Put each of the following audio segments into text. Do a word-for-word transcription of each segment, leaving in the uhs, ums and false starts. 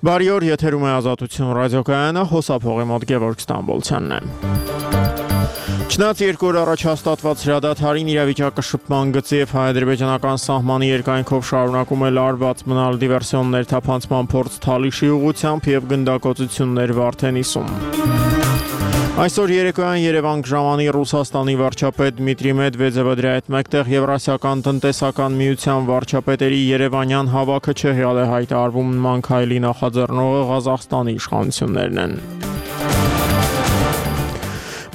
Բարի օր, եթերում է Ազատություն ռադիոկայանը, հոսափողի մոտ Գևորգ Ստամբոլցյանն է։ Չնայած երկու օր առաջ հաստատված հրադադարին իրավիճակը շփման գծի եւ հայ-ադրբեջանական սահմանի երկայնքով շարունակում է լարված մնալ դիվերսիոններ թափանցման փորձ Թալիշի ուղղությամբ եւ գնդակոծություններ Վարդենիսում։ Այսօր երեկոյան Երևան ժամանի Ռուսաստանի վարչապետ Դմիտրի Մեդվեդևը դրա հետ մեկտեղ Եվրասիական տնտեսական միության վարչապետերի երևանյան հավաքը Չեխիալ է հայտարարվում նման քայլի նախաձեռնողը Ղազախստանի իշխանություններն են։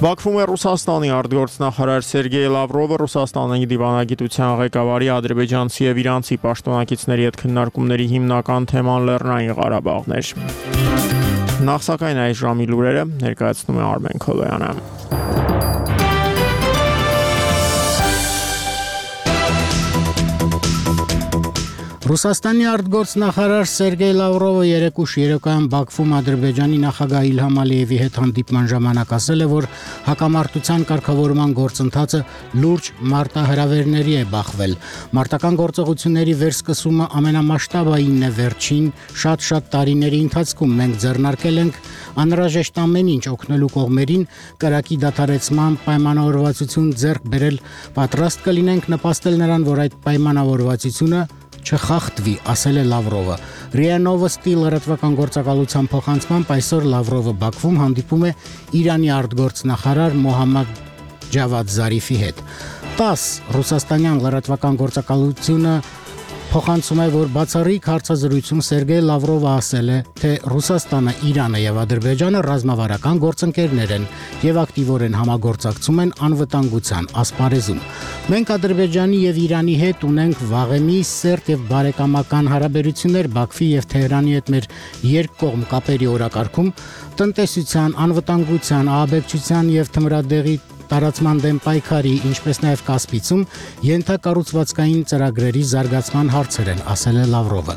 Բաքվում է Ռուսաստանի արտգործնախարար Սերգեյ Լավրովը Ռուսաստանի դիվանագիտության ղեկավարի ադրբեջանցի եւ իրանցի պաշտոնակիցների հետ քննարկումների հիմնական թեման Լեռնային Ղարաբաղն էր։ Նախ սակայն այս ժամի լուրերը ներկայացնում է Արմեն Քոլոյանը։ Ռուսաստանի արտգործնախարար Սերգեյ Լավրովը երեկուշ երեկոյան Բաքվում Ադրբեջանի նախագահ Իլհամ Ալիևի հետ հանդիպման ժամանակ ասել է, որ հակամարտության կարգավորման գործընթացը լուրջ մարտահրավերների է բախվել։ Մարտական գործողությունների վերսկսումը ամենամասշտաբայինն է վերջին շատ-շատ տարիների ընթացքում։ Մենք ձեռնարկել ենք անհրաժեշտ ամեն ինչ օգնելու կողմերին կրակի դադարեցման պայմանավորվածություն ձեռք բերել, պատրաստ կլինենք նպաստել նրան, որ այդ պայմանավորվածությունը չխախտվի, ասել է Լավրովը։ ՌԻԱ Նովոստի լրատվական գործակալության փոխանցմամբ այսօր Լավրովը Բաքվում հանդիպում է Իրանի արտգործնախարար Մոհամմադ Ջավադ Զարիֆի հետ։ տաս ռուսաստանյան լրատվական գործակալությունը փոխանցում է, որ բացառիկ հարցազրույցում Սերգեյ Լավրովը ասել է, թե Ռուսաստանը, Իրանը եւ Ադրբեջանը ռազմավարական գործընկերներ են եւ ակտիվորեն համագործակցում են անվտանգության ասպարեզում։ Մենք Ադրբեջանի եւ Իրանի հետ ունենք վաղեմի սերտ եւ բարեկամական հարաբերություններ Բաքվի եւ Թեհրանի հետ մեր երկկողմ կապերի օրակարգում, տնտեսության, անվտանգության, ահաբեկչության եւ թմրադեղի տարածման դեմ պայքարի, ինչպես նաև Կասպիցում ենթակառուցվածքային ծրագրերի զարգացման հարցեր են, ասել է Լավրովը։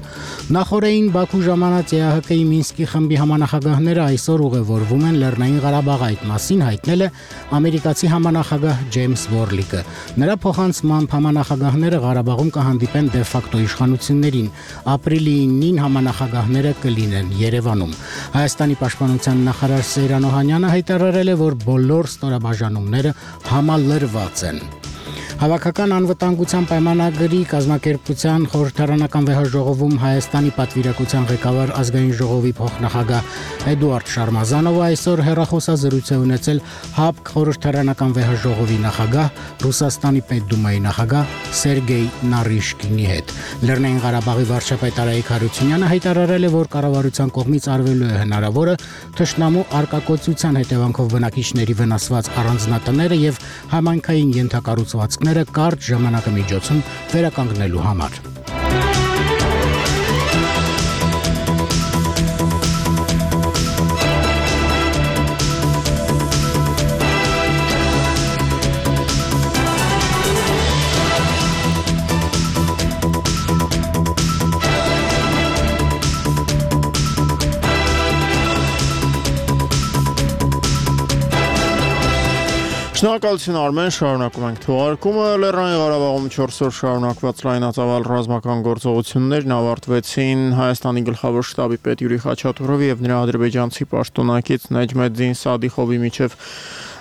Նախորդին Բաքու ժամանած ԵԱՀԿ-ի Մինսկի խմբի համանախագահները այսօր ուղևորվում են Լեռնային Ղարաբաղ, այդ մասին հայտնել է ամերիկացի համանախագահ Ջեյմս Որլիկը։ Նրա փոխանցմամբ համանախագահները Ղարաբաղում կհանդիպեն դե-ֆակտո իշխանություններին։ Ապրիլի իննին համանախագահները կլինեն Երևանում։ Հայաստանի պաշտպանության նախարար Սեյրան Օհանյանը հայտարարել է, որ բոլոր ստորաբաժանումները համալրված են։ Հավաքական անվտանգության պայմանագրի կազմակերպության խորհրդարանական վեհաժողովում Հայաստանի պատվիրակության ղեկավար ազգային ժողովի փոխնախագահ Էդուարդ Շարմազանովը այսօր հեռախոսազրույց է ունեցել ՀԱՊԿ խորհրդարանական վեհաժողովի նախագահ Ռուսաստանի Պետդումայի նախագահ Սերգեյ Նարիշկինի հետ։ Լեռնային Ղարաբաղի վարչապետ Արայիկ Հարությունյանը հայտարարել է, որ կառավարության կողմից արվելու է հնարավորը թշնամու արկակոծության հետևանքով բնակիչների վնասված առանձնատները եւ համայնքային ենթակառուցվածքները կարճ ժամանակամիջոցում վերականգնելու համար։ Շնորհակալություն Արմեն, շարունակում ենք թողարկումը։ Լեռնային Ղարաբաղում չորս օր շարունակված լայնածավալ ռազմական գործողություններն ավարտվեցին Հայաստանի գլխավոր շտաբի պետ Յուրի Խաչատուրովի եւ նրա ադրբեջանցի պաշտոնակից Նեջմեդզին Սադիխովի միջև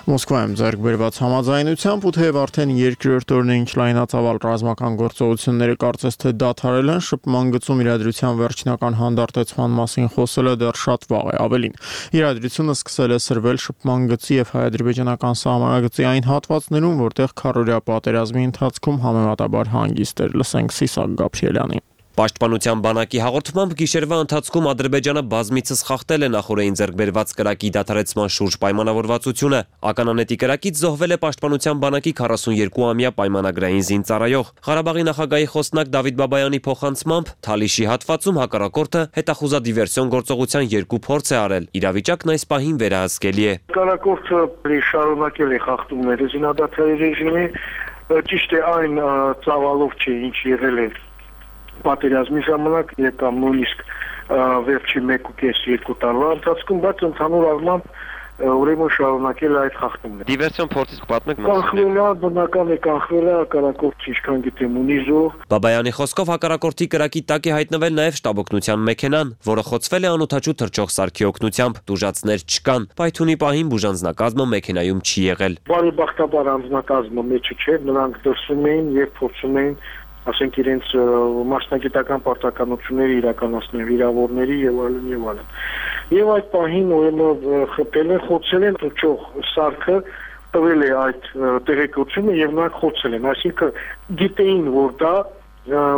Մոսկվայում ձեռք բերված համաձայնությամբ ու թեև արդեն երկրորդ օրն է ինչ լայնածավալ ռազմական գործողությունները կարծես թե դադարել են, շփման գծում իրադրության վերջնական հանդարտեցման մասին խոսելը դեռ շատ վաղ է, ավելին։ Իրադրությունը սկսել է սրվել շփման գծի եւ հայ-ադրբեջանական սահմանագծի այն հատվածներում, որտեղ քառօրյա պատերազմի ընթացքում համեմատաբար հանգիստ էր, լսենք Սիսակ Գաբրիելյանին։ Պաշտպանության բանակի հաղորդմամբ գիշերվա ընթացքում Ադրբեջանը բազմիցս խախտել է նախորդին ձեռք բերված կրակի դադարեցման շուրջ պայմանավորվածությունը։ Ականանետի կրակից զոհվել է պաշտպանության բանակի քառասունյոթ-ամյա պայմանագրային զինծառայող։ Ղարաբաղի նախագահի խոսնակ Դավիթ Բաբայանի փոխանցմամբ Թալիշի հատվածում հակառակորդը հետախուզադիվերսիոն գործողության երկու փորձ է արել։ Իրավիճակն այս պահին վերահսկելի է։ Հակառակորդը շարունակել է խախտումները զինադադարի ռեժիմի, ճիշտ է այն ծավալով չէ, ինչ եղել է պատերազմի ժամանակ կամ նույնիսկ վերջի մեկ ու կես երկու տարվա ընթացքում, բայց ընդհանուր առմամբ ուրեմն շարունակել այդ խախտումները։ Դիվերսիոն փորձից պատմեք։ Կանխվել է, բնական է կանխվել է հակառակորդի, ինչքան գիտեմ, ունի զոհ։ Բաբայանի խոսքով հակառակորդի կրակի տակ է հայտնվել նաև շտաբօգնության մեքենան, որը խոցվել է անօդաչու թռչող սարքի օգնությամբ։ Տուժածներ չկան։ Պայթյունի պահին բուժանձնակազմը մեքենայում չի եղել։ Բարեբախտաբար անձնակազմը մեջը չէր, նրանք դրսում էին եւ փորձում էին ասենք իրենց մասնագիտական պարտականությունները իրականացնել վիրավորների եւ այլն եւ այլն։ Եվ այդ պահին ուրեմն խփել են, խոցել են թռչող սարքը, տվել է այդ տեղեկությունը եւ նրանք խոցել են, այսինքն գիտեին, որ դա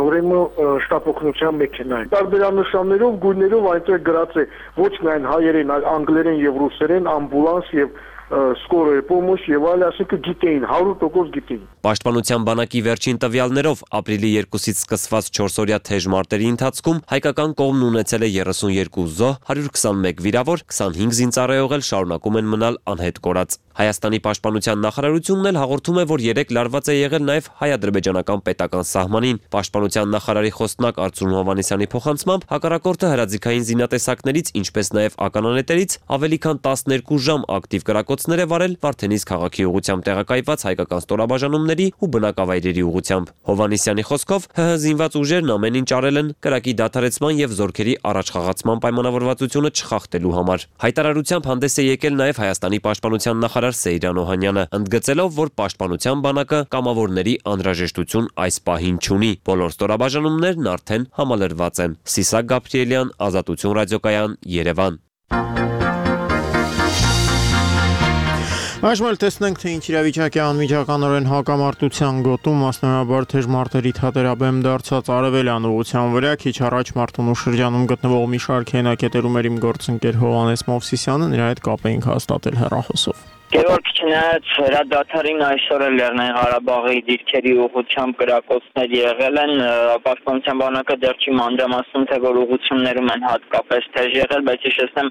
ուրեմն շտապօգնության մեքենա է։ Տարբերանշաններով, գույներով այնտեղ գրած է ոչ միայն հայերեն, այլ անգլերեն եւ ռուսերեն ամբուլանս եւ սկորոյ պոմոշ եւ այլ, ասենք գիտեին, հարյուր տոկոս գիտեին։ Պաշտպանության բանակի վերջին տվյալներով ապրիլի երկուսից սկսված չորսօրյա թեժ մարտերի ընթացքում հայկական կողմն ունեցել է երեսունյոթ զոհ, հարյուր քսանմեկ վիրավոր, քսանհինգ զինծառայող էլ շարունակում են մնալ անհետ կորած։ Հայաստանի պաշտպանության նախարարությունն էլ հաղորդում է, որ երեք լարված է եղել նաև հայ-ադրբեջանական պետական սահմանին։ Պաշտպանության նախարարի խոսնակ Արծրուն Հովհաննիսյանի փոխանցմամբ հակառակորդը հրաձիգային զինատեսակներից, ինչպես նաև ականանետերից ավելի քան տասներկու ժամ ակտիվ կրակոցներ է վարել Վարդենիս քաղաքի ուղղությամբ տեղակայված հայկական ստորաբաժանումների ու բնակավայրերի ուղղությամբ։ Հովհաննիսյանի խոսքով ՀՀ զինված ուժերն ամեն ինչ արել են կրակի դադարեցման եւ զորքերի առաջխաղացման պայմանավորվածությունը չխախտելու համար։ Հայտարարությամբ հանդես է եկել նաև Հայաստանի պաշտպանության նախարար Սեյրան Օհանյանը, ընդգծելով, որ պաշտպանության բանակը կամավորների անհրաժեշտություն այս պահին չունի։ Բոլոր ստորաբաժանումներն արդեն համալրված են։ Սիսակ Գաբրիելյան, Ազատություն ռադիոկայան, Երևան։ Այժմ էլ տեսնենք, թե ինչ իրավիճակ է անմիջականորեն հակամարտության գոտում, մասնավորաբար թեժ մարտերի թատերաբեմ դարձած արևելյան ուղղության վրա։ Քիչ առաջ Մարտունու շրջանում գտնվող մի շարք հենակետերում էր իմ գործընկեր Հովհաննես Մովսիսյանը, նրա հետ կապ էինք հաստատել հեռախոսով։ Գևորգ, չնայած հրադադարին այսօր էլ Լեռնային Ղարաբաղի դիրքերի ուղղությամբ կրակոցներ եղել են, պաշտպանության բանակը դեռ չի մանրամասնում, թե որ ուղղություններում են հատկապես թեժ եղել, բայց հիշեցնեմ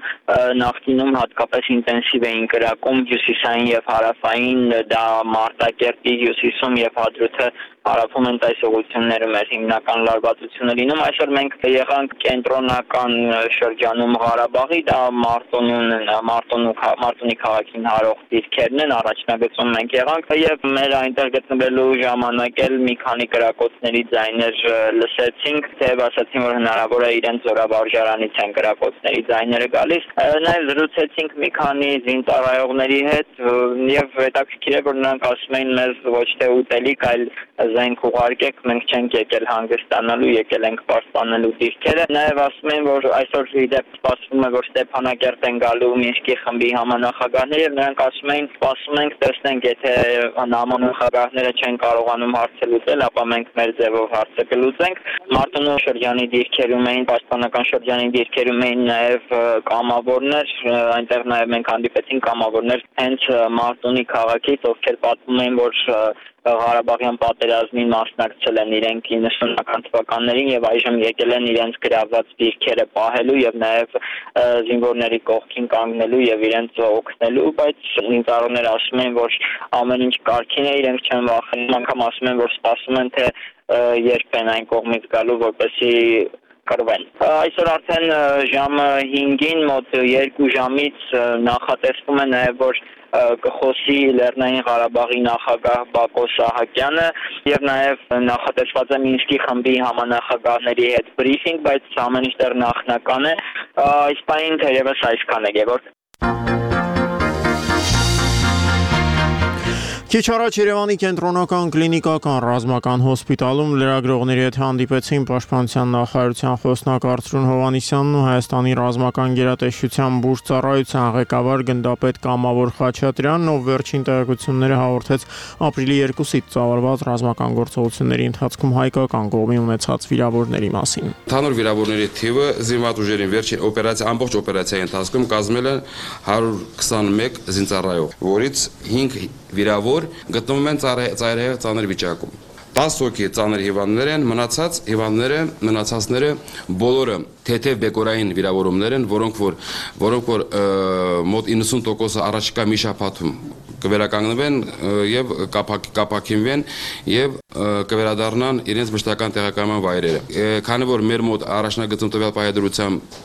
նախկինում հատկապես ինտենսիվ էին կրակում հյուսիսային եւ հարավային, դա Մարտակերտի հյուսիսում եւ Հադրութը հարավում են այս ուղղություններում էր հիմնական լարվածությունը լինում։ Այսօր մենք եղանք կենտրոնական շրջանում Ղարաբաղի, դա Մարտունուն, Մարտունու Մարտունի քաղաքին հարող դիրքերն են, առաջնագծում մենք եղանք եւ մեր այնտեղ գտնվելու ժամանակ էլ մի քանի կրակոցների ձայներ լսեցինք, թեև ասացին, որ հնարավոր է իրենց զորավարժարանից են կրակոցների ձայները գալիս։ Նաեւ զրուցեցինք մի քանի զինծառայողների հետ եւ հետաքրքիր է, որ նրանք ասում էին մեզ ոչ թե ուտելիք, այլ զենք ուղարկեք, մենք չենք եկել հանգստանալու, եկել ենք պաշտպանելու դիրքերը։ Նաև ասում են, որ այսօր իդեպ սպասվում է, որ Ստեփանակերտ են գալու Մինսկի խմբի համանախագահները եւ նրանք ասում էին, սպասում ենք, տեսնենք, եթե համանախագահները չեն կարողանում հարցը լուծել, ապա մենք մեր ձևով հարցը կլուծենք։ Մարտունու շրջանի դիրքերում էին, պաշտպանական շրջանի դիրքերում էին նաև կամավորներ, այնտեղ նաև մենք հանդիպեցինք կամավորներ հենց Մարտունի քաղաքից, ովքեր պատմում էին, որ Ղարաբաղյան պատերազմին մասնակցել են իրենք իննսունական թվականներին եւ այժմ եկել են իրենց գրաված դիրքերը պահելու եւ նաեւ զինվորների կողքին կանգնելու եւ իրենց օգնելու, բայց ինտերներները ասում են, որ ամեն ինչ կարգին է, իրենք չեն վախենում, անգամ ասում են, որ սպասում են, թե երբ են այն կողմից գալու, որպեսզի կրվեն։ Այսօր արդեն ժամը հինգին մոտ երկու ժամից նախատեսվում է նաև, որ կխոսի Լեռնային Ղարաբաղի նախագահ Բակո Սահակյանը եւ նաեւ նախատեսված է Մինսկի խմբի համանախագահների հետ բրիֆինգ, բայց ամեն ինչ դեռ նախնական է։ Այս պահին թերևս այսքան է, Գևորգ։ Քիչ առաջ Երևանի կենտրոնական կլինիկական ռազմական հոսպիտալում լրագրողների հետ հանդիպեցին պաշտպանության նախարարության խոսնակ Արծրուն Հովհաննիսյանն ու Հայաստանի ռազմական գերատեսչության բուժծառայության ղեկավար գնդապետ Կամավոր Խաչատրյանն, ով վերջին տեղեկությունները հաղորդեց ապրիլի երկուսից ծավալված ռազմական գործողությունների ընթացքում հայկական կողմի ունեցած վիրավորների մասին։ Ընդհանուր վիրավորների թիվը զինված ուժերին վերջին օպերացիա ամբողջ օպերացիայի ընթացքում կազմել է հարյուր քսանմեկ զինծառայող, որից հինգ վիրավոր գտնվում են ծայրահեղ ծանր վիճակում։ տասը հոգի ծանր հիվանդներ են, մնացած հիվանդները, մնացածները բոլորը թեթև բեկորային վիրավորումներ են, որոնք որ որոնք որ մոտ իննսուն տոկոսը առաջիկա մի շաբաթում կվերականգնվեն եւ կապակինվեն եւ կվերադառնան իրենց մշտական տեղակայման վայրերը։ Քանի որ մեր մոտ առաջնագծում տվյալ պայմանավորությամբ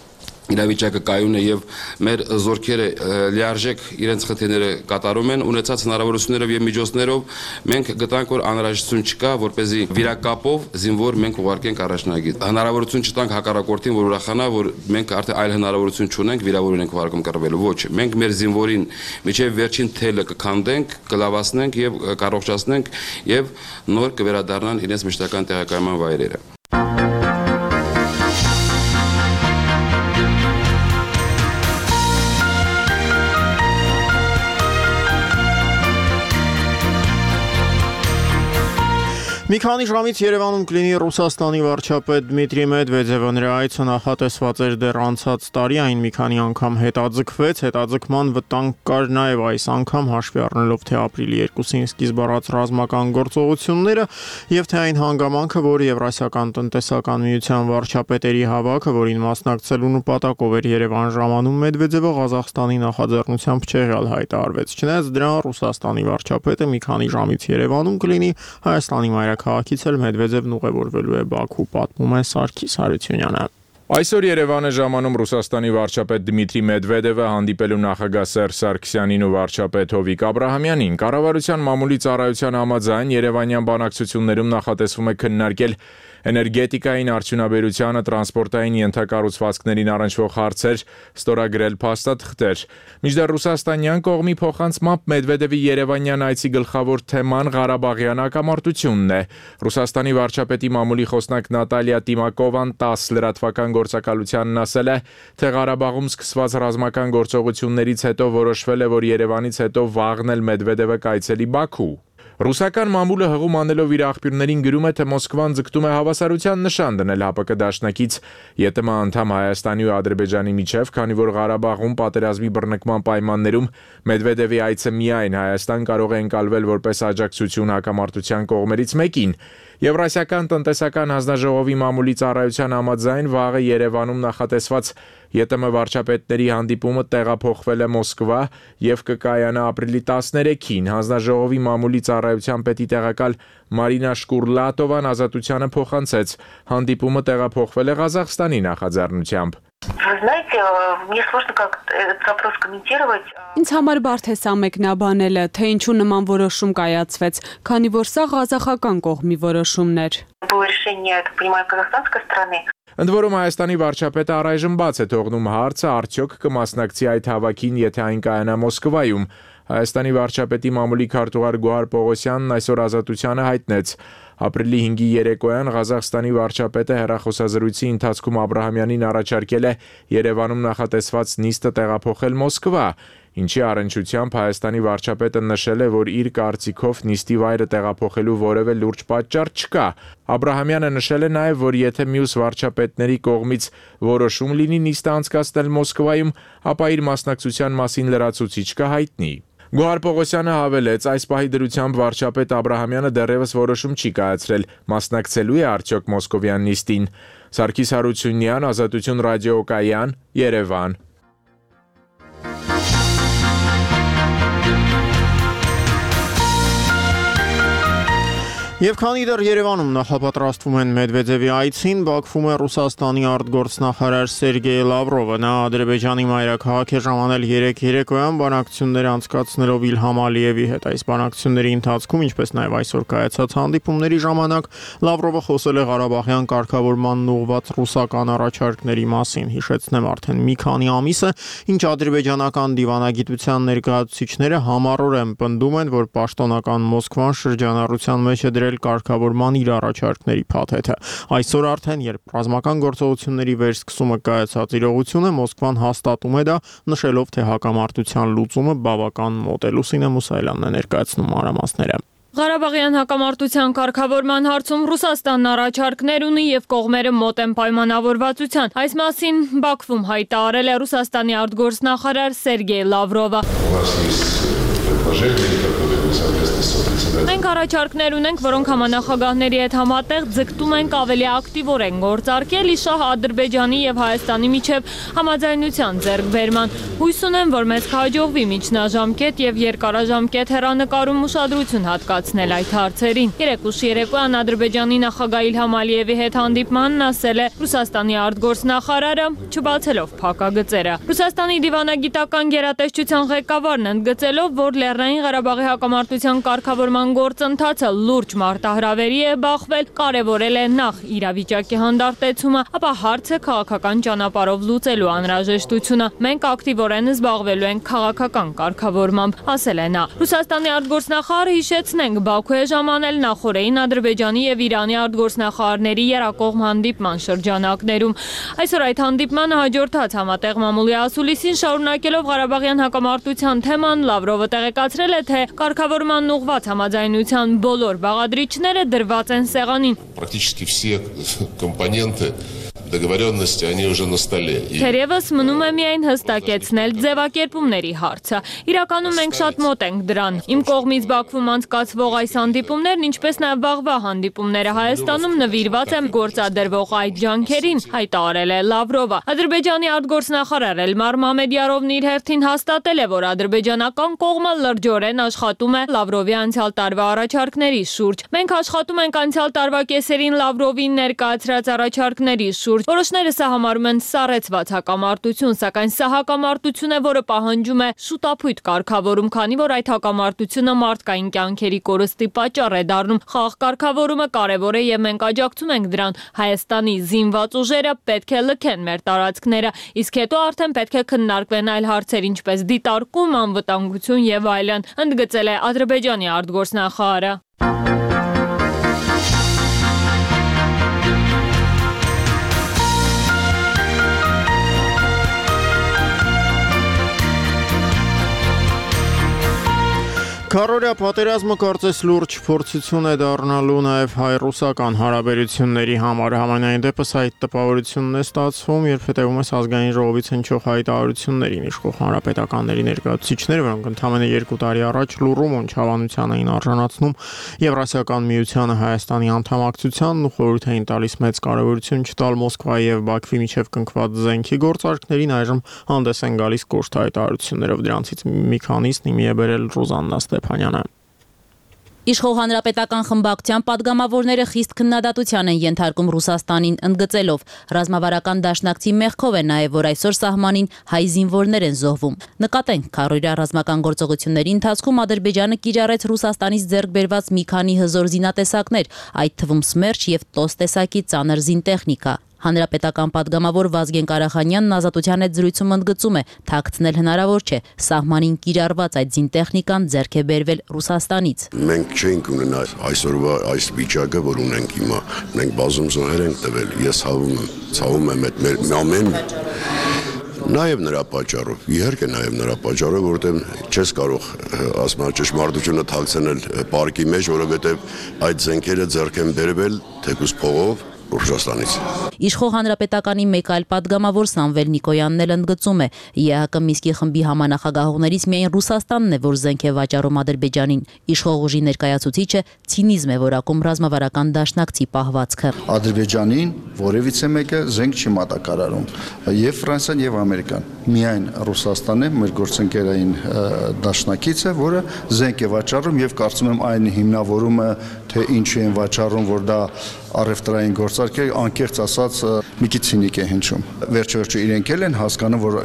իրավիճակը կայուն է եւ մեր զորքերը լիարժեք իրենց խնդիրները կատարում են ունեցած հնարավորություններով եւ միջոցներով մենք գտանք որ անհրաժեշտություն չկա որպեսզի վիրակապով զինվոր մենք ուղարկենք առաջնագիծ հնարավորություն չտանք հակառակորդին որ ուրախանա որ մենք արդեն այլ հնարավորություն չունենք վիրավորին ենք ուղարկում կռվելու ոչ մենք մեր զինվորին միջև վերջին թելը կքանդենք կլավացնենք եւ կառողջացնենք եւ նոր կվերադառնան իրենց մշտական տեղակայման վայրերը Մի քանի ժամից Երևանում կլինի Ռուսաստանի վարչապետ Դմիտրի Մեդվեդևը նրա այցը նախատեսված էր դեռ անցած տարի այն մի քանի անգամ հետաձգվեց հետաձգման վտանգ կար նաև այս անգամ հաշվի առնելով թե ապրիլի երկուսին սկիզբ առած ռազմական գործողությունները եւ թե այն հանգամանքը որ Եվրասիական տնտեսական միության վարչապետերի հավաքը որին մասնակցելու նպատակով էր Երևան ժամանում Մեդվեդևը Ղազախստանի նախաձեռնությամբ չեղյալ հայտարարվեց չնայած դրան Ռուսաստանի վարչապետը մի քանի ժամից Երևանում կլինի Հայաստանի Քաղաքից էլ Մեդվեդևն ուղևորվելու է Բաքու պատմում է Սարգիս Հարությունյանը Այսօր Երևան է ժամանում Ռուսաստանի վարչապետ Դմիտրի Մեդվեդևը հանդիպելու նախագահ Սերժ Սարգսյանին ու վարչապետ Հովիկ Աբրահամյանին կառավարության մամուլի ծառայության համաձայն Երևանյան բանակցություններում նախատեսվում է քննարկել էներգետիկային արդյունաբերությանը, տրանսպորտային ենթակառուցվածքներին առնչվող հարցեր, ստորագրել փաստաթղթեր։ Մինչդեռ ռուսաստանյան կողմի փոխանցմամբ Մեդվեդևի Երևանյան այցի գլխավոր թեման Ղարաբաղյան հակամարտությունն է։ Ռուսաստանի վարչապետի մամուլի խոսնակ Նատալիա Տիմակովան տաս լրատվական գործակալությանն ասել է, թե Ղարաբաղում սկսված ռազմական գործողություններից հետո որոշվել է, որ Երևանից հետո վաղն էլ Մեդվեդևը կայցելի Բաքու։ Ռուսական մամուլը հղում անելով իր աղբյուրներին գրում է, թե Մոսկվան ձգտում է հավասարության նշան դնել ՀԱՊԿ դաշնակից ԵՏՄ անդամ Հայաստանի ու Ադրբեջանի միջև, քանի որ Ղարաբաղում պատերազմի բռնկման պայմաններում Մեդվեդևի այցը միայն Հայաստան կարող է ընկալվել որպես աջակցություն հակամարտության կողմերից մեկին։ Եվրասիական տնտեսական հանձնաժողովի մամուլի ծառայության համաձայն վաղը Երևանում նախատեսված ԵՏՄ վարչապետների հանդիպումը տեղափոխվել է Մոսկվա եւ կկայանա ապրիլի տասներեքին։ Հանձնաժողովի մամուլի ծառայության պետի տեղակալ Մարինա Շկուրլատովան ազատությանը փոխանցեց։ Հանդիպումը տեղափոխվել է Ղազախստանի նախաձեռնությամբ։ Вы знаете, мне сложно как-то этот вопрос комментировать. Ինձ համար բարդ է սա մեկնաբանելը, թե ինչու նման որոշում կայացվեց, քանի որ սա ղազախական կողմի որոշումն էր։ Было решение, я так понимаю, казахстанской стороны. Ընդ որում Հայաստանի վարչապետը առայժմ բաց է թողնում հարցը արդյոք կմասնակցի այդ հավաքին, եթե այն կայանա Մոսկվայում։ Հայաստանի վարչապետի մամուլի քարտուղար Գոհար Պողոսյանն այսօր ազատությանը հայտնեց. Ապրիլի հինգի երեկոյան Ղազախստանի վարչապետը հեռախոսազրույցի ընթացքում Աբրահամյանին առաջարկել է Երևանում նախատեսված նիստը տեղափոխել Մոսկվա, ինչի առնչությամբ Հայաստանի վարչապետը նշել է, որ իր կարծիքով նիստի վայրը տեղափոխելու որևէ լուրջ պատճառ չկա։ Աբրահամյանը նշել է նաև, որ եթե մյուս վարչապետների կողմից որոշում լինի նիստը անցկացնել Մոսկվայում, ապա իր մասնակցության մասին լրացուցիչ կհայտնի։ Գոհար Պողոսյանը հավելեց, այս պահի դրությամբ վարչապետ Աբրահամյանը դեռևս որոշում չի կայացրել, մասնակցելու է արդյոք Մոսկովյան նիստին։ Սարգիս Հարությունյան, Ազատություն ռադիոկայան, Երևան։ Եվ քանի դեռ Երևանում նախապատրաստվում են Մեդվեդևի այցին, Բաքվում է Ռուսաստանի արտգործնախարար Սերգեյ Լավրովը։ Նա Ադրբեջանի մայրաքաղաք է ժամանել երեկ երեկոյան բանակցություններ անցկացնելով Իլհամ Ալիևի հետ։ Այս բանակցությունների ընթացքում, ինչպես նաև այսօր կայացած հանդիպումների ժամանակ, Լավրովը խոսել է Ղարաբաղյան կարգավորմանն ուղղված ռուսական առաջարկների մասին։ Հիշեցնեմ, արդեն մի քանի ամիս է, ինչ ադրբեջանական դիվանագիտության ներկայացուցիչները համառորեն պնդում են, որ պաշտոնական Մոսկվան շրջանառության մեջ է դրել կարգավորման իր առաջարկների փաթեթը։ Այսօր արդեն, երբ ռազմական գործողությունների վերսկսումը կայացած իրողություն է, Մոսկվան հաստատում է դա, նշելով, թե հակամարտության լուծումը բավական մոտ է։ Լուսինե Մուսայելյանն է ներկայացնում մանրամասները։ Ղարաբաղյան հակամարտության կարգավորման հարցում Ռուսաստանն առաջարկներ ունի եւ կողմերը մոտ են պայմանավորվածության։ Այս մասին Բաքվում հայտարարել է Ռուսաստանի արտգործնախարար Սերգեյ Լավրովը։ Մենք առաջարկներ ունենք, որոնք համանախագահների հետ համատեղ ձգտում ենք ավելի ակտիվորեն գործարկել իշահ Ադրբեջանի եւ Հայաստանի միջև համաձայնության ձեռքբերման։ Հույս ունեմ, որ մեզ կհաջողվի միջնաժամկետ եւ երկարաժամկետ հեռանկարում ուշադրություն հատկացնել այդ հարցերին։ Երեկուշ երեկոյան Ադրբեջանի նախագահ Իլհամ Ալիևի հետ հանդիպմանն ասել է Ռուսաստանի արտգործնախարարը, չբացելով փակագծերը։ Ռուսաստանի դիվանագիտական գերատեսչության ղեկավարն ընդգծելով, որ Լեռնային Ղարաբաղի հակամարտության կարգավորման գործընթացը լուրջ մարտահրավերի է բախվել, կարևորել է նախ իրավիճակի հանդարտեցումը, ապա հարցը քաղաքական ճանապարհով լուծելու անհրաժեշտությունը։ Մենք ակտիվորեն զբաղվելու ենք քաղաքական կարգավորմամբ, ասել է նա։ Ռուսաստանի արտգործնախարարը հիշեցնենք, Բաքու է ժամանել նախորդին Ադրբեջանի եւ Իրանի արտգործնախարարների երակողմ հանդիպման շրջանակներում։ Այսօր այդ հանդիպմանը հաջորդած համատեղ մամուլի ասուլիսին շարունակելով Ղարաբաղյան հակամարտության թեման Լավրովը տեղեկացրել է, թե կարգավորման ուղղված համաձայնության բոլոր բաղադրիչները դրված են սեղանին։ Практически все компоненты договоренности они уже на столе. Թերևս մնում է միայն հստակեցնել ձևակերպումների հարցը։ Իրականում մենք շատ մոտ ենք դրան։ Իմ կողմից Բաքվում անցկացվող այս հանդիպումներն, ինչպես նաև վաղվա հանդիպումները Հայաստանում նվիրված են գործադրվող այդ ջանքերին, հայտարարել է Լավրովը։ Ադրբեջանի արտգործնախարար Էլմար Մամեդյարովն իր հերթին հաստատել է, որ ադրբեջանական կողմը լրջորեն աշխատում է Լավրովի անցյալ տարվա առաջարկների շուրջ։ Մենք աշխատում ենք անցյալ տարվա կեսերին Լավրովին ներկայացրած առաջարկների շուրջ։ Որոշները սա համարում են սառեցված հակամարտություն, սակայն սա հակամարտություն է, որը պահանջում է շուտափույթ կարգավորում, քանի որ այդ հակամարտությունը մարդկային կյանքերի կորստի պատճառ է դառնում։ Խաղ կարգավորումը կարևոր է եւ մենք աջակցում ենք դրան։ Հայաստանի զինված ուժերը պետք է լքեն մեր տարածքները, իսկ հետո արդեն պետք է քննարկվեն այլ հարցեր, ինչպես դիտարկում, անվտանգություն եւ այլն, ընդգծել է Ադրբեջանի արտգործնախարարը։ Քարորիա պատերազմը կարծես լուրջ փորձություն է դառնալու նաև հայ-ռուսական հարաբերությունների համար։ Համենայն դեպս այդ տպավորությունն է ստացվում, երբ հետևում ես ազգային ժողովից հնչող հայտարարություններին, իշխող հանրապետականների ներկայացուցիչները, որոնք ընդամենը երկու տարի առաջ լուռում ու չավանության էին արժանացնում Եվրասիական միությանը Հայաստանի անդամակցությանն ու խորհուրդ էին տալիս մեծ կարևորություն չտալ Մոսկվայի եւ Բաքվի միջև կնքված զենքի գործարքներին, այժմ հանդես են գալիս կոշտ հայտարարություններով։ Դրանցից մի քանիսն իմի է բերել Ռուզաննա Ստեփանյանը։ Իշխող հանրապետական խմբակցության падգամավորները խիստ քննադատության են ենթարկում Ռուսաստանին, ընդգծելով ռազմավարական դաշնակցի մեղքով է նաև, որ այսօր սահմանին հայ զինվորներ են զոհվում։ Նկատենք, քարորիա ռազմական գործողությունների ընթացքում Ադրբեջանը կիրառեց Ռուսաստանից ձեռք բերված մի քանի հզոր զինատեսակներ, այդ թվում Սմերչ եւ Տոս տեսակի ծանր զինտեխնիկա։ Հանրապետական падգամավոր Վազգեն Կարախանյանն Ազատության հետ զրույցում ընդգծում է, թաքցնել հնարավոր չէ, սահմանին կիրառված այդ զինտեխնիկան ձեռք է բերվել Ռուսաստանից։ Մենք չենք ունենա այսօրվա այս վիճակը, որ ունենք հիմա, մենք բազում զոհեր ենք տվել, ես հավում եմ, ցավում եմ այդ մեր ամեն Նաև նրա պատճառով, իհարկե նաև նրա պատճառով, որովհետև չես կարող ասում ճշմարտությունը թաքցնել պարկի մեջ, որովհետև այդ զենքերը ձեռք են բերվել թեկուզ փողով Ռուսաստանից։ Իշխող հանրապետականի մեկ այլ падգամավոր Սամվել Նիկոյանն էլ ընդգծում է, ԵԱՀԿ Միսկի խմբի համանախագահողներից միայն Ռուսաստանն է, որ զենք է վաճառում Ադրբեջանին։ Իշխող ուժի ներկայացուցիչը ցինիզմ է որակում ռազմավարական դաշնակցի պահվածքը։ Ադրբեջանին որևիցե մեկը զենք չի մատակարարում, եւ Ֆրանսիան եւ Ամերիկան։ Միայն Ռուսաստանն է մեր գործընկերային դաշնակիցը, որը զենք է վաճառում եւ կարծում եմ այն հիմնավորումը, թե ինչու են վաճառում, որ դա առևտրային գործարք է, անկեղծ ասած մի քիչ ցինիկ է հնչում։ Վերջո-վերջո իրենք էլ են հասկանում, որ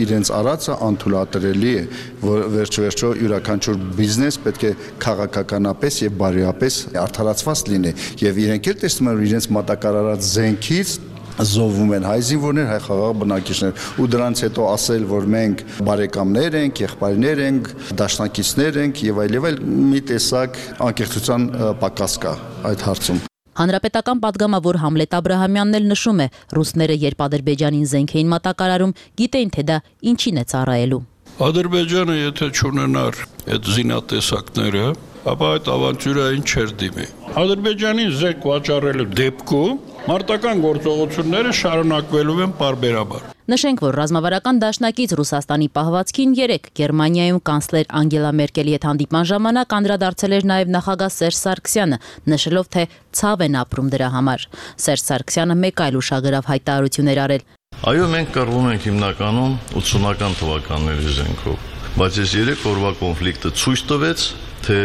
իրենց արածը անթույլատրելի է, որ վերջո-վերջո յուրաքանչյուր բիզնես պետք է քաղաքականապես եւ բարոյապես արդարացված լինի, եւ իրենք էլ տեսնում են, որ իրենց մատակարարած զենքից զոհվում են հայ զինվորներ, հայ խաղաղ բնակիչներ, ու դրանից հետո ասել, որ մենք բարեկամներ ենք, եղբայրներ ենք, դաշնակիցներ ենք եւ այլ եւ այլ, մի տեսակ անկեղծության պակաս կա այդ հարցում։ Հանրապետական падգամավոր Համլետ Աբրահամյանն էլ նշում է, ռուսները երբ Ադրբեջանին զենք էին մատակարարում, գիտեին, թե դա ինչին է ծառայելու։ Ադրբեջանը եթե չունենար այդ զինատեսակները, ապա այդ ավանտյուրային չէր դիմի։ Ադրբեջանին զենք վաճառելու դեպքում Մարտական գործողությունները շարունակվելու են պարբերաբար։ Նշենք, որ ռազմավարական դաշնակից Ռուսաստանի պահվածքին երեկ Գերմանիայում կանցլեր Անգելա Մերկելի հետ հանդիպման ժամանակ անդրադարձել էր նաև նախագահ Սերժ Սարգսյանը, նշելով, թե ցավ են ապրում դրա համար։ Սերժ Սարգսյանը մեկ այլ ուշագրավ հայտարարություններ արել։ Այո, մենք կռվում ենք հիմնականում ութսունական թվականների զենքով, բայց այս երեք օրվա կոնֆլիկտը ցույց տվեց, թե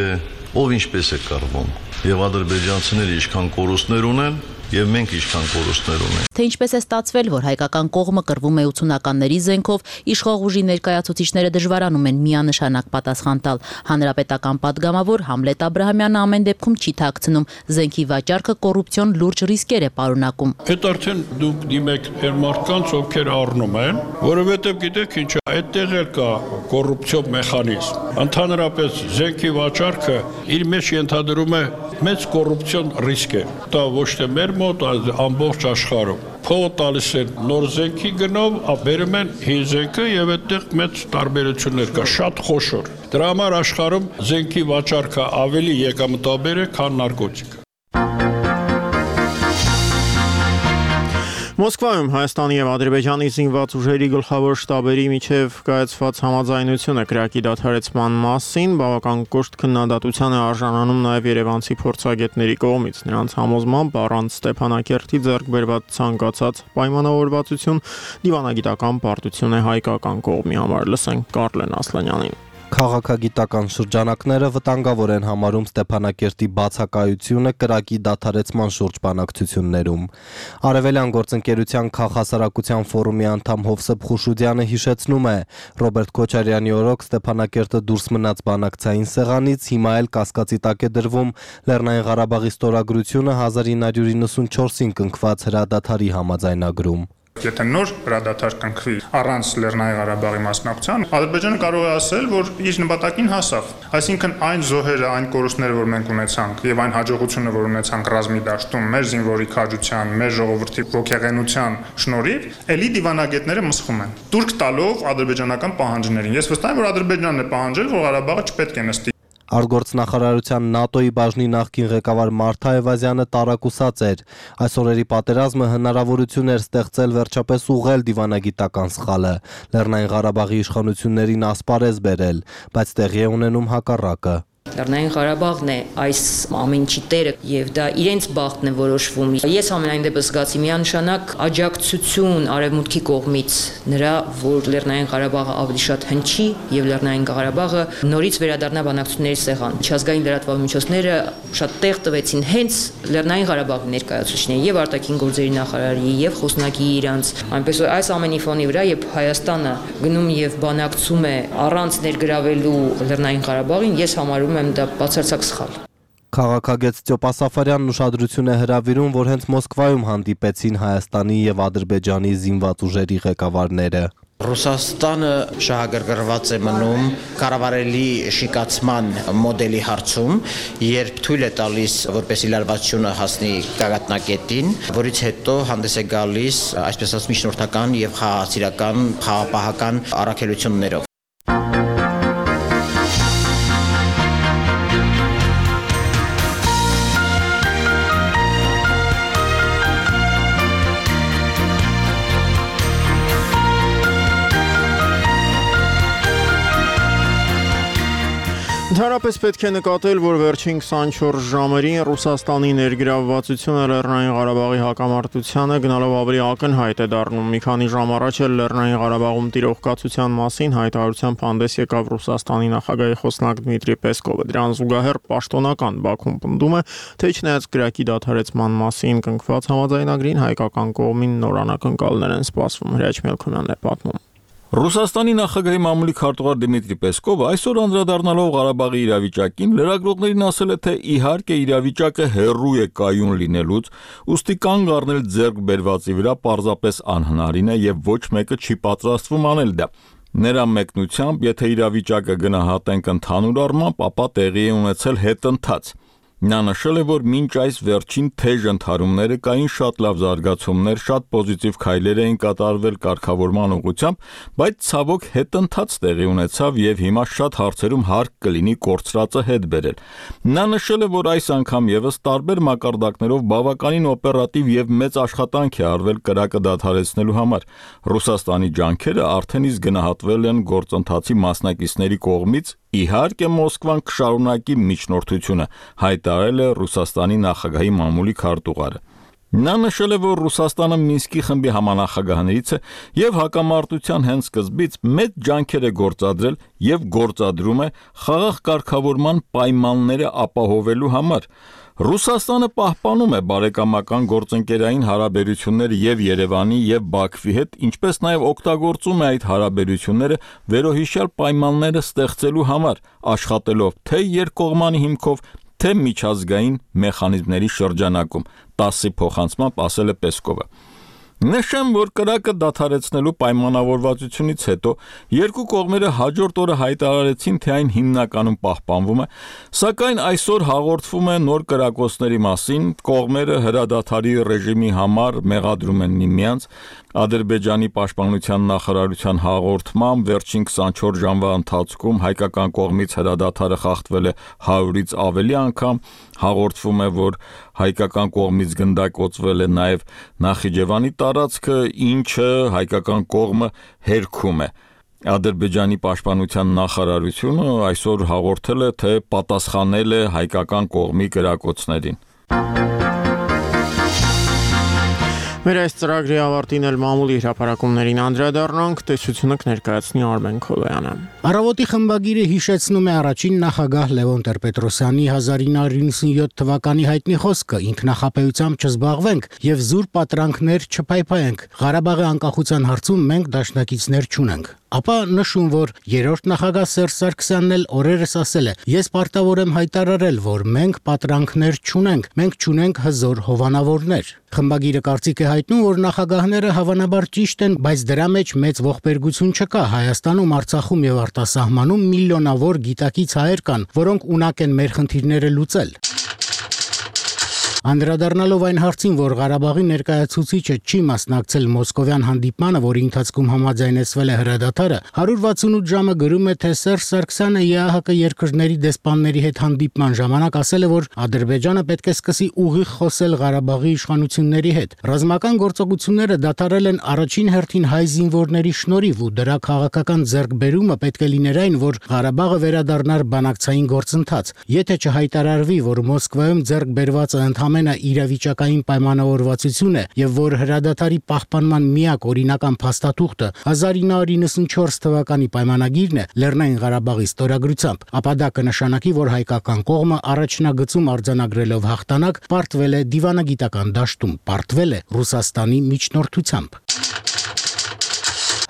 ով ինչպես է կռվում, եւ ադրբեջանցիները ինչքան կորուստներ ունեն, եւ մենք ինչքան կորուստներ ունենք։ Թե ինչպես է ստացվել, որ հայկական կողմը կռվում է ութսունականների զենքով, իշխող ուժի ներկայացուցիչները դժվարանում են միանշանակ պատասխան տալ։ Հանրապետական падգամավոր Համլետ Աբրահամյանը ամեն դեպքում չի թաքցնում, զենքի վաճառքը կոռուպցիոն լուրջ ռիսկեր է պարունակում։ Այդ արդեն դուք դիմեք այն մարդկանց, ովքեր առնում են, որովհետեւ գիտեք ինչ է, այդտեղ էլ կա կոռուպցիոն մեխանիզմ։ Ընդհանրապես զենքի վաճառքը իր մեջ ենթադրում է մեծ կոռուպցիոն ռիսկ է։ Դա ոչ թե մեր մոտ, այլ ամբողջ աշխարհում։ Փողը տալիս են նոր զենքի գնով, բերում են հին զենքը եւ այդտեղ մեծ տարբերություններ կա, շատ խոշոր։ Դրա համար աշխարհում զենքի վաճառքը ավելի եկամտաբեր է, քան նարկոտիկ։ Մոսկվայում Հայաստանի եւ Ադրբեջանի զինված ուժերի գլխավոր շտաբերի միջև կայացված համաձայնությունը քրեակի դադարեցման մասին բավական կոշտ քննադատության է արժանանում նաեւ երևանցի փորձագետների կողմից։ Նրանց համոզմամբ առանց Ստեփանակերտի ձեռք բերված ցանկացած պայմանավորվածություն դիվանագիտական պարտություն է հայկական կողմի համար։ Լսենք Կարլեն Ասլանյանին։ Քաղաքագիտական շրջանակները վտանգավոր են համարում Ստեփանակերտի բացակայությունը կրակի դադարեցման շուրջ բանակցություններում։ Արևելյան գործընկերության քաղաքասարակության ֆորումի անդամ Հովսեփ Խուշուդյանը հիշեցնում է, Ռոբերտ Քոչարյանի օրոք Ստեփանակերտը դուրս մնաց բանակցային սեղանից, հիմա էլ կասկածի տակ է դրվում Լեռնային Ղարաբաղի ստորագրությունը հազար ինը հարյուր իննսունչորսին կնքված հրադադարի համաձայնագրում։ Եթե նոր հրադադար կնքվի առանց Լեռնային Ղարաբաղի մասնակցության, Ադրբեջանը կարող է ասել, որ իր նպատակին հասավ։ Այսինքն այն զոհերը, այն կորուստները, որ մենք ունեցանք, եւ այն հաջողությունը, որ ունեցանք ռազմի դաշտում, մեր զինվորի քաջության, մեր ժողովրդի ողջեղենության շնորհիվ, ելի դիվանագետները մսխում են։ Турք տալով ադրբեջանական պահանջներին։ Ես վստահ եմ, որ Ադրբեջանն է պահանջել, որ Ղարաբաղը չպետք է նստի։ Արտգործնախարարության ՆԱՏՕ-ի բաժնի նախկին ղեկավար Մարթա Այվազյանը տարակուսած էր։ Այս օրերի պատերազմը հնարավորություն էր ստեղծել վերջապես ուղղել դիվանագիտական սխալը, Լեռնային Ղարաբաղի իշխանություններին ասպարեզ բերել, բայց տեղի է ունենում հակառակը։ Լեռնային Ղարաբաղն է այս ամենի տերը եւ դա իրենց բախտն է որոշվում։ Ես ամենայն դեպս զգացի միանշանակ աջակցություն արևմուտքի կողմից նրա, որ Լեռնային Ղարաբաղը ավելի շատ հնչի եւ Լեռնային Ղարաբաղը նորից վերադառնա բանակցությունների սեղան։ Միջազգային լրատվական միջոցները շատ տեղ տվեցին հենց Լեռնային Ղարաբաղի ներկայացուցիչներին եւ արտաքին գործերի նախարարի եւ խոսնակի իրանց։ Այնպես որ այս ամենի ֆոնի վրա երբ Հայաստանը գնում եւ բանակցում է առանց ներգրավելու Լեռնային Ղարաբաղին, ես համարում եմ դա բացարձակ սխալ։ Քաղաքագետ Ստյոպա Սաֆարյանն ուշադրություն է հրավիրում, որ հենց Մոսկվայում հանդիպեցին Հայաստանի եւ Ադրբեջանի զինված ուժերի ղեկավարները։ Ռուսաստանը շահագրգռված է մնում կառավարելի շիկացման մոդելի հարցում, երբ թույլ է տալիս, որպեսզի լարվածությունը հասնի գագաթնակետին, որից հետո հանդես է գալիս, այսպես ասած, միջնորդական եւ խաղաղացիական, խաղապահական առաքելություններով։ Ընդհանրապես պետք է նկատել, որ վերջին քսանչորս ժամերին Ռուսաստանի ներգրավվածությունը Լեռնային Ղարաբաղի հակամարտությանը գնալով ավելի ակնհայտ է դառնում։ Մի քանի ժամ առաջ էլ Լեռնային Ղարաբաղում տիրող կացության մասին հայտարարությամբ հանդես եկավ Ռուսաստանի նախագահի խոսնակ Դմիտրի Պեսկովը։ Դրան զուգահեռ պաշտոնական Բաքուն պնդում է, թե չնայած կրակի դադարեցման մասին կնքված համաձայնագրին հայկական կողմին նոր անակնկալներ են սպասվում։ Հրաչ Մելքոնյանն է պատմում։ Ռուսաստանի նախագահի մամուլի քարտուղար Դմիտրի Պեսկովը այսօր անդրադառնալով Ղարաբաղի իրավիճակին լրագրողներին ասել է, թե իհարկե իրավիճակը հեռու է կայուն լինելուց, ուստի կանգ առնել ձեռք բերվածի վրա պարզապես անհնարին է եւ ոչ մեկը չի պատրաստվում անել դա։ Նրա մեկնությամբ, եթե իրավիճակը գնահատենք ընդհանուր առմամբ, ապա տեղի է ունեցել հետընթաց։ Նա նշել է, որ մինչ այս վերջին թեժ ընդհարումները կային շատ լավ զարգացումներ, շատ պոզիտիվ քայլեր էին կատարվել կարգավորման ուղղությամբ, բայց ցավոք հետընթաց տեղի ունեցավ եւ հիմա շատ հարցերում հարկ կլինի կորցրածը հետ բերել։ Նա նշել է, որ այս անգամ եւս տարբեր մակարդակներով բավականին օպերատիվ եւ մեծ աշխատանք է արվել կրակը դադարեցնելու համար։ Ռուսաստանի ջանքերը արդեն իսկ գնահատվել են գործընթացի մասնակիցների կողմից, իհարկե Մոսկվան կշարունակի միջնորդությունը, հայտարարել է Ռուսաստանի նախագահի մամուլի քարտուղարը։ Նա նշել է, որ Ռուսաստանը Մինսկի խմբի համանախագահներից է եւ հակամարտության հենց սկզբից մեծ ջանքեր է գործադրել եւ գործադրում է խաղաղ կարգավորման պայմանները ապահովելու համար։ Ռուսաստանը պահպանում է բարեկամական գործընկերային հարաբերությունները եւ Երևանի եւ Բաքվի հետ, ինչպես նաեւ օգտագործում է այդ հարաբերությունները վերոհիշյալ պայմանները ստեղծելու համար, աշխատելով թե երկկողմանի հիմքով, թե միջազգային մեխանիզմների շրջանակում, տասի փոխանցմամբ ասել է Պեսկովը։ Նշեմ, որ կրակը դադարեցնելու պայմանավորվածությունից հետո երկու կողմերը հաջորդ օրը հայտարարեցին, թե այն հիմնականում պահպանվում է, սակայն այսօր հաղորդվում է նոր կրակոցների մասին, կողմերը հրադադարի ռեժիմի համար մեղադրում են միմյանց, Ադրբեջանի պաշտպանության նախարարության հաղորդմամբ վերջին քսանչորս ժամվա ընթացքում հայկական կողմից հրադադարը խախտվել է հարյուրից ավելի անգամ, հաղորդվում է, որ հայկական կողմից գնդակոծվել է նաև Նախիջևանի տարածքը, ինչը հայկական կողմը հերքում է։ Ադրբեջանի պաշտպանության նախարարությունը այսօր հաղորդել է, թե պատասխանել է հայկական կողմի կրակոցներին։ Մեր այս ծրագրի ավարտին էլ մամուլի հրապարակումներին անդրադառնանք, տեսությունը կներկայացնի Արմեն Քոլոյանը։ Առավոտի խմբագիրը հիշեցնում է առաջին նախագահ Լևոն Տեր-Պետրոսյանի հազար ինը հարյուր նվաթ թվականի հայտնի խոսքը՝ ինքնախապեյությամբ չզբաղվենք եւ զուր պատրանքներ չփայփայենք։ Ղարաբաղի անկախության հարցում մենք դաշնակիցներ չունենք։ Ապա նշում, որ երրորդ նախագահ Սերժ Սարգսյանն էլ օրերս ասել է. «Ես պարտավոր եմ հայտարարել, որ մենք պատրանքներ չունենք, մենք չունենք հզոր հովանավորներ»։ Խմբագիրը կարծիք է հայտնում, որ նախագահները հավանաբար ճիշտ են, բայց դրա մեջ մեծ ողբերգություն չկա։ Հայաստանում, Արցախում եւ արտասահմանում միլիոնավոր գիտակից հայեր կան, որոնք ունակ են մեր խնդիրները լուծել։ Անդրադառնալով այն հարցին, որ Ղարաբաղի ներկայացուցիչը չի մասնակցել մոսկովյան հանդիպմանը, որի ընթացքում համաձայնեցվել է հրադադարը, հարյուր վաթսունութ ժամը գրում է, թե Սերժ Սարգսյանը ԵԱՀԿ երկրների դեսպանների հետ հանդիպման ժամանակ ասել է, որ Ադրբեջանը պետք է սկսի ուղիղ խոսել Ղարաբաղի իշխանությունների հետ։ Ռազմական գործողությունները դադարել են առաջին հերթին հայ զինվորների շնորհիվ ու դրա քաղաքական ձեռքբերումը պետք է լիներ այն, որ Ղարաբաղը վերադառնար բանակցային գործընթաց։ Եթե չհայտարարվի, որ Մոսկվայում ձեռք բերվածը ամենը իրավիճակային պայմանավորվածություն է եւ որ հրադադարի պահպանման միակ օրինական փաստաթուղթը հազար ինը հարյուր նվաթ թվականի պայմանագիրն է Լեռնային Ղարաբաղի ստորագրությամբ, ապա դա կնշանակի, որ հայկական կողմը առաջնագծում արձանագրելով հաղթանակ պարտվել է դիվանագիտական դաշտում, պարտվել է Ռուսաստանի միջնորդությամբ։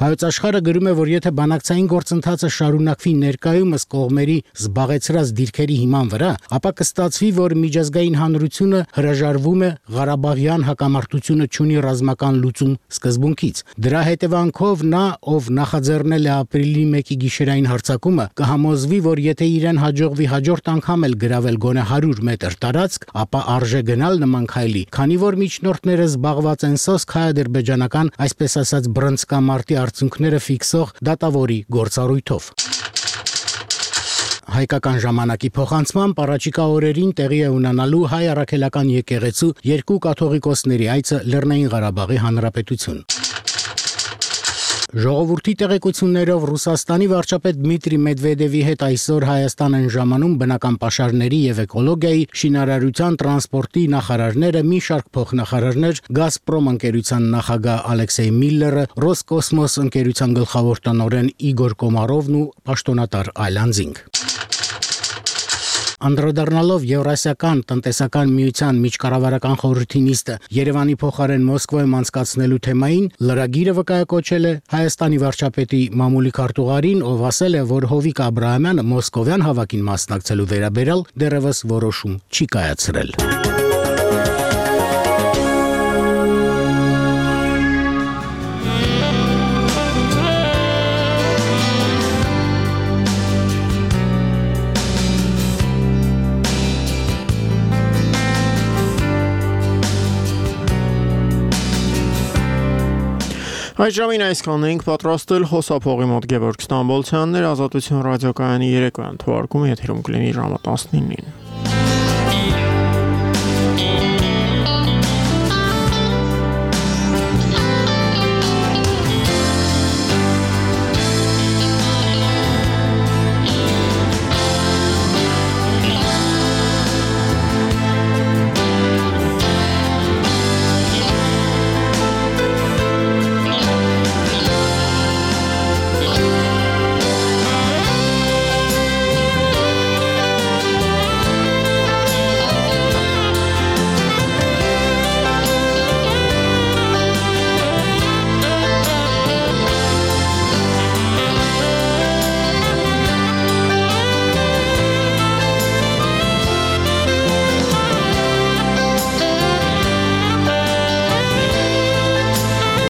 Հայոց աշխարհը գրում է, որ եթե բանակցային գործընթացը շարունակվի ներկայումս կողմերի զբաղեցրած դիրքերի հիման վրա, ապա կստացվի, որ միջազգային հանրությունը հրաժարվում է Ղարաբաղյան հակամարտությունը չունի ռազմական լուծում սկզբունքից։ Դրա հետևանքով նա, ով նախաձեռնել է ապրիլի մեկի գիշերային հարձակումը, կհամոզվի, որ եթե իրեն հաջողվի հաջորդ անգամ էլ գրավել գոնե հարյուր մետր տարածք, ապա արժե գնալ նման քայլի, քանի որ միջնորդները զբաղված են սոսկ հայ-ադրբեջանական, այսպես ասած, բռնցքամարտի արդյունքները ֆիքսող դատավորի գործառույթով։ Հայկական ժամանակի փոխանցմամբ առաջիկա օրերին տեղի է ունենալու հայ առաքելական եկեղեցու երկու կաթողիկոսների այցը Լեռնային Ղարաբաղի Հանրապետություն։ Ժողովրդի տեղեկություններով Ռուսաստանի վարչապետ Դմիտրի Մեդվեդևի հետ այսօր Հայաստան են ժամանում բնական պաշարների եւ էկոլոգիայի, շինարարության, տրանսպորտի նախարարները, մի շարք փոխնախարարներ, Գազպրոմ ընկերության նախագահ Ալեքսեյ Միլլերը, Ռոսկոսմոս ընկերության գլխավոր տնօրեն Իգոր Կոմարովն ու պաշտոնատար Այլանդզինգ։ Անդրադառնալով Եվրասիական տնտեսական միության միջկառավարական խորհրդի նիստը Երևանի փոխարեն Մոսկվայում անցկացնելու թեմային, լրագիրը վկայակոչել է Հայաստանի վարչապետի մամուլի քարտուղարին, ով ասել է, որ Հովիկ Աբրահամյանը մոսկովյան հավաքին մասնակցելու վերաբերյալ դեռևս որոշում չի կայացրել։ Այս ժամին այսքանն ենք պատրաստել խոսափողի մոտ Գևորգ Ստամբոլցյանն էր, Ազատություն ռադիոկայանի երեկոյան թողարկումը եթերում կլինի ժամը տասնինին։